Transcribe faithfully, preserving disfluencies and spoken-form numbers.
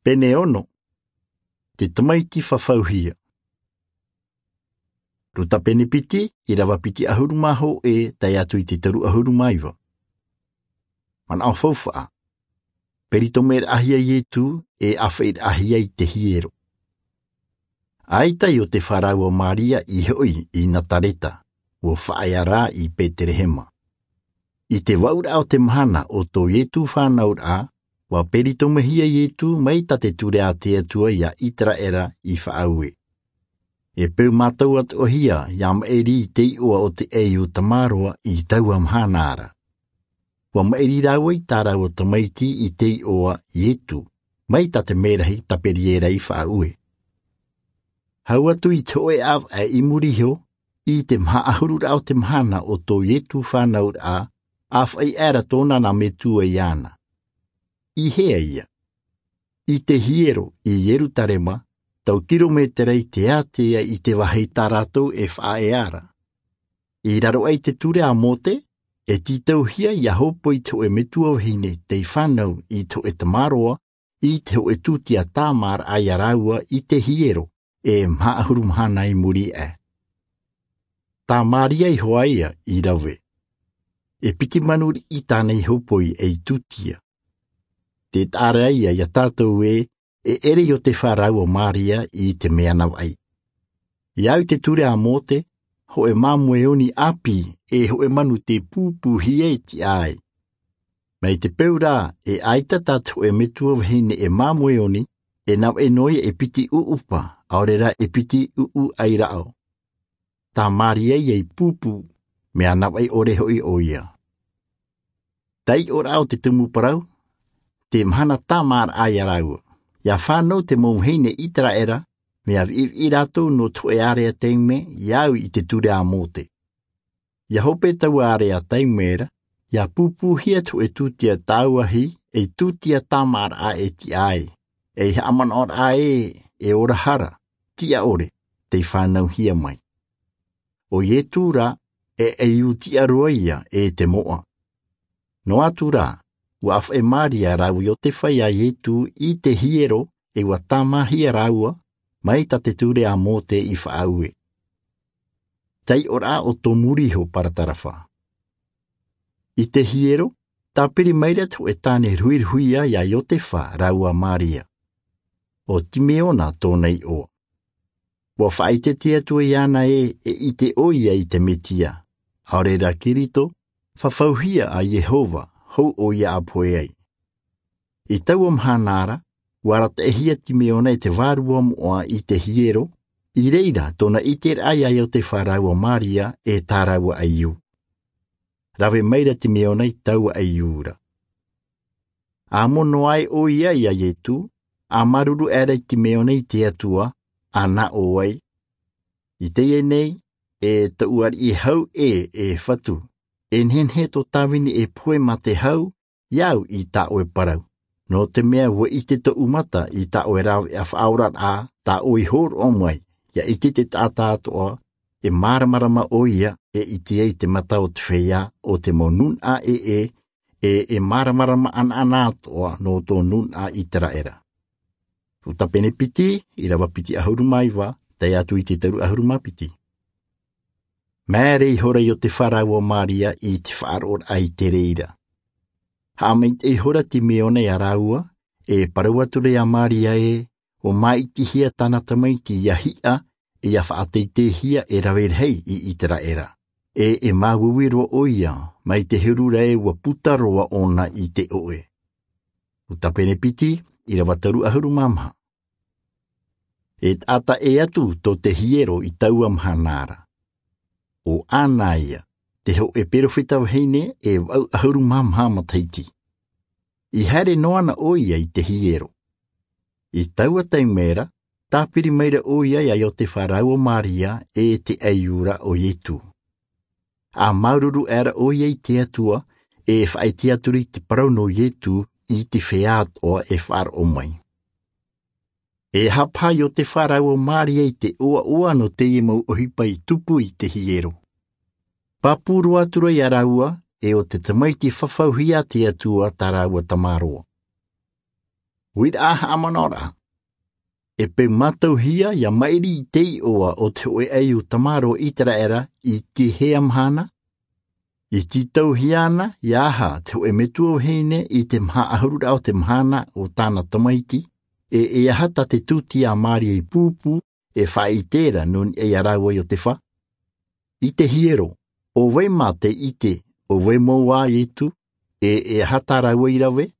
Pene ono. Te tamaiti fafauhia. Ruta pene piti, irava piti ʻahuru mā hōʻē, tae atu i te toru ʻahuru mā iva. Manaʻo faufaʻa. Peritomeʻiraʻahia Ietu, e ʻāfaʻiraʻahia i te hiero. ʻAita Iotefa rāua Maria i hoʻi i Nazareta, ʻua faʻaea rā i Betelehema. I te vaʻuraʻa o te mahana o tō Ietu fānauraʻa, ʻua peritomehia Ietu mai tā te ture a te Atua ia Iseraela i faʻaue. E peu mātau atoʻahia ia maʻiri i te iʻoa o te ʻaiū tamaroa i taua mahana ra. ʻUa maʻiri rāua i tā rāua tamaiti i te iʻoa Ietu, mai tā te mērahi Taberiera i faʻaue. Hau atu i te hōʻē ʻāvaʻe i muri iho, i te maha ʻahururaʻa o te mahana o tō Ietu fānauraʻa, ʻāfaʻi aʻera tōna nā metua iāna. I hea ïa? I te hiero i Ierutarema, tau kirometera i te ātea i te vāhi tā rātou e faʻaea ra. I raro aʻe i te ture a Mōte, e tītauhia ia hōpoi te hōʻē metua vahine tei fānau i te hōʻē tamaroa, i te hōʻē tūtia tāmāraʻa ia rāua i te hiero, e maha ʻahuru mahana i muri aʻe. Tā Maria iho ïa i rave. E piti manu riʻi tāna i hōpoi ei tūtia. Tē taʻa ra ïa ia tātou ē, e ʻere Iotefa rāua Maria i te mea navaʻi. I au i te ture a Mōte, hōʻē māmoe oni ʻāpī, e hōʻē manu tē pūpūhia e tiʻa ai. Mai te peu rā, e ʻaita tā te hōʻē metua vahine e māmoe oni, e navaʻi noa ïa e piti ʻuʻupa, ʻaore rā e piti ʻuʻu ʻairaʻo. Tā Maria ïa i pūpū, mea navaʻi ʻore hoʻi ʻoia. Taiʻoraʻa o te tumu parau, te mahana tāmāraʻa ia rāua. Ia fānau te mau vahine Iseraela, mea viʻiviʻi rātou nō te hōʻē ārea taime, i au i te ture a Mōte. Ia hope taua ārea taime ra, ia pūpūhia te hōʻē tūtia tāuahi, ei tūtia tāmāraʻa e tiʻa ai, ei haʻamanaʻoraʻa ē, e ora hara, tiʻa ʻore, tei fānauhia mai. ʻO Ietu rā, e ʻaiū tiʻa roa ïa e te moʻa. Noa atu rā, ʻua ʻāfaʻi Maria rāua Iotefa ia Ietu i te hiero, e ʻua tāmāhia rāua, mai tā te ture a Mōte i faʻaue. Taiʻoraʻa o tō muri iho paratarafa. I te hiero, tāpiri maira te hōʻē tāne ruhiruhia ia Iotefa rāua Maria. ʻO Timeona tōna iʻoa. ʻUa faʻaʻite te Atua iāna ē, e ʻite ʻoia i te Mesia, ʻaore rā Kirito, fafauhia a Iehova, hou ʻoia ʻa pohe ai. I taua mahana ra, ʻua arataʻihia Timeona e te vārua moʻa i te hiero, i reira tōna ʻiteraʻa ia Iotefa rāua Maria e tā rāua ʻaiū. Rave maira Timeona i taua ʻaiū ra. ʻA mono ai ʻoia ia Ietu, ʻa māuruuru aʻera Timeona i te Atua, ʻa nā ʻō ai: I teie nei, e tōʻu ariʻi hau ē, e Fatu, e nehenehe tō Tāvini e pohe mā te hau, i au i tā ʻoe parau. Nō te mea ʻua ʻite tōʻu mata i tā ʻoe rāveʻa faʻaoraraʻa, tā ʻoe i hōroʻa mai, ʻia ʻite te taʻata atoʻa, e māramarama ʻoia, e ʻite ai te mata o te feiā, ʻo te mau nūnaʻa ʻē, e, e māramarama anaʻana atoʻa nō tō nūnaʻa Iseraela. Ruta pene piti, ʻīrava piti ʻahuru mā iva, tae atu i te toru ʻahuru mā piti. Māere ihora Iotefa rāua Maria i te faʻaroʻoraʻa i te reira. Haʻamaitaʻi ihora Timeona ia rāua, e parau atu ra ia Maria ē, ʻua māʻitihia tāna tamaiti ʻia hiʻa, e ʻia faʻateiteihia e rave rahi i Iseraela. E, e māuiui roa ʻoia, mai te huru ra ē ʻua puta roa ʻōna i te ʻoʻe. Ruta pene piti, ʻīrava toru ʻahuru mā maha. E taʻata ʻē atu tō te hiero i taua mahana ra. ʻO Ana ïa, te hōʻē perofeta vahine e vaʻu ʻahuru mā maha matahiti. I haere noa na ʻoia i te hiero. I taua taime ra, tāpiri maira ʻoia ia Iotefa rāua Maria e te ʻaiū ra ʻo Ietu. ʻA māuruuru aʻera ʻoia i te Atua, e faʻaʻite atu ra i te parau nō Ietu i te feiā atoʻa e faʻaroʻo mai. E haʻapaʻo Iotefa rāua Maria i te ʻoaʻoa nō teie mau ʻohipa i tupu i te hiero. Pāpū roa atu ra ia rāua, e ʻo te tamaiti fafauhia a te Atua tā rāua tamaroa. Uiraʻa haʻamanaʻoraʻa. E peu mātauhia ia maʻiri i te iʻoa o te hoʻe ʻaiū tamaroa o iseraela i te hea mahana? I tītauhia ana ia aha te hoʻe metua vahine i te maha ʻahururaʻa o te mahana o tāna tamaiti? E e aha tā te tūtia a maria i pūpū e faʻaʻite ra nō niʻa ia rāua i o te fā? I te hiero, ʻo vai mā te ʻite, ʻo vai mau ā iesu? E e aha tā rāua i rave?